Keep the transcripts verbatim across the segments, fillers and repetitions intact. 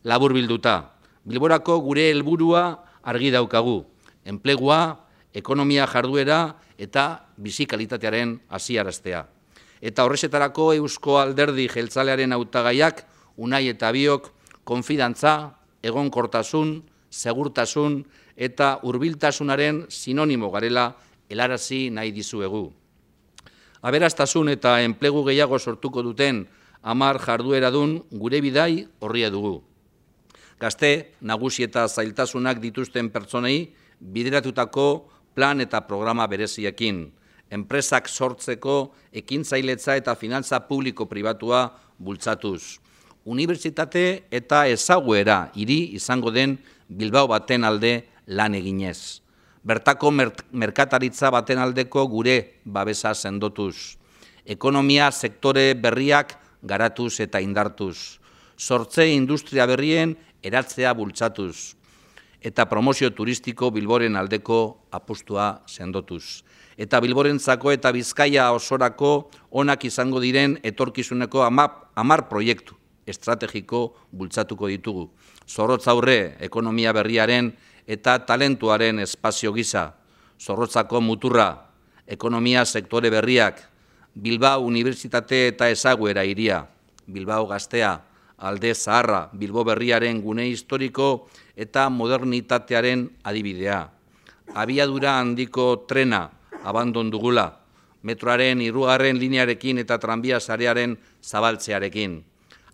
Laburbilduta, Bilborako gure helburua argi daukagu, enplegua, ekonomia jarduera eta bizi kalitatearen haziaraztea. Eta horrexetarako Eusko Alderdi Jeltzalearen hautagaiak Unai eta biok konfidantza, egonkortasun, segurtasun eta hurbiltasunaren sinonimo garela helarazi nahi dizuegu. Aberastasun eta enplegu gehiago sortuko duten hamar jardueradun gure bidai orria dugu. Gazte, nagusi eta zailtasunak dituzten pertsonei bideratutako plan eta programa bereziekin, enpresak sortzeko ekintzailetza eta finantza publiko-pribatua bultzatuz, unibertsitate eta ezaguera hiri izango den Bilbao baten alde lan eginez, bertako merkataritza baten aldeko gure babesa sendotuz, ekonomia sektore berriak garatuz eta indartuz, sortze industria berrien eratzea bultzatuz, eta promozio turistiko Bilboren aldeko apustua sendotuz. Eta Bilborentzako eta Bizkaia osorako onak izango diren etorkizuneko hamar proiektu estrategiko bultzatuko ditugu. Zorrotz aurre ekonomia berriaren eta talentuaren espazio gisa, Zorrotzako muturra, ekonomia sektore berriak, Bilbao Unibertsitate eta ezaguera hiria, Bilbao Gaztea, Alde Zaharra, Bilbo berriaren gune historiko eta modernitatearen adibidea. Abiadura handiko trena abandon dugula, metroaren hirugarren linearekin eta tranbia sarearen zabaltzearekin,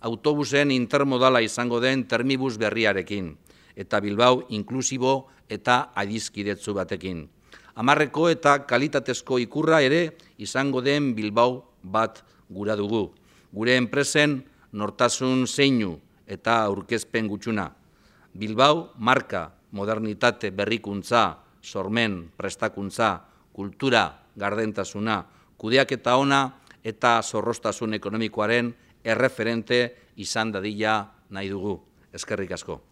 autobusen intermodala izango den termibus berriarekin, eta Bilbao inklusibo eta adizkidetzu batekin. Hamarreko eta kalitatezko ikurra ere izango den Bilbao bat gura dugu. Gure enpresen nortasun zeinu eta aurkezpen gutxuna. Bilbao marka, modernitate, berrikuntza, sormen, prestakuntza, kultura, gardentasuna, kudeaketa ona eta zorroztasun ekonomikoaren erreferente izan dadila nahi dugu. Eskerrik asko.